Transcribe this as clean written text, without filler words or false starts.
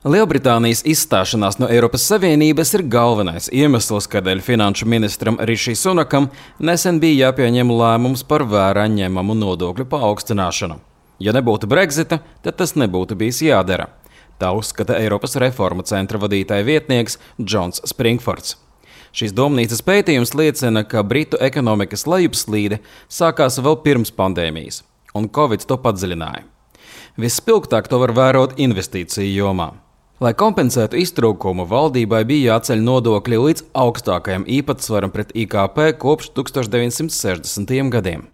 Lielbritānijas izstāšanās no Eiropas Savienības ir galvenais iemesls, kādēļ finanšu ministram Riši Sunakam nesen bija jāpieņem lēmums par vērā ņemamu nodokļu paaugstināšanu. Ja nebūtu Brexita, tad tas nebūtu bijis jādara. Tā uzskata Eiropas reformu centra vadītāja vietnieks Džons Springfords. Šīs domnīcas pētījums liecina, ka Britu ekonomikas lejupslīde sākās vēl pirms pandēmijas, un Covid to padziļināja. Visspilgtāk to var vērot investīciju jomā. Lai kompensētu iztrūkumu, valdībai bija jāceļ nodokļi līdz augstākajam īpatsvaram pret IKP kopš 1960. gadiem.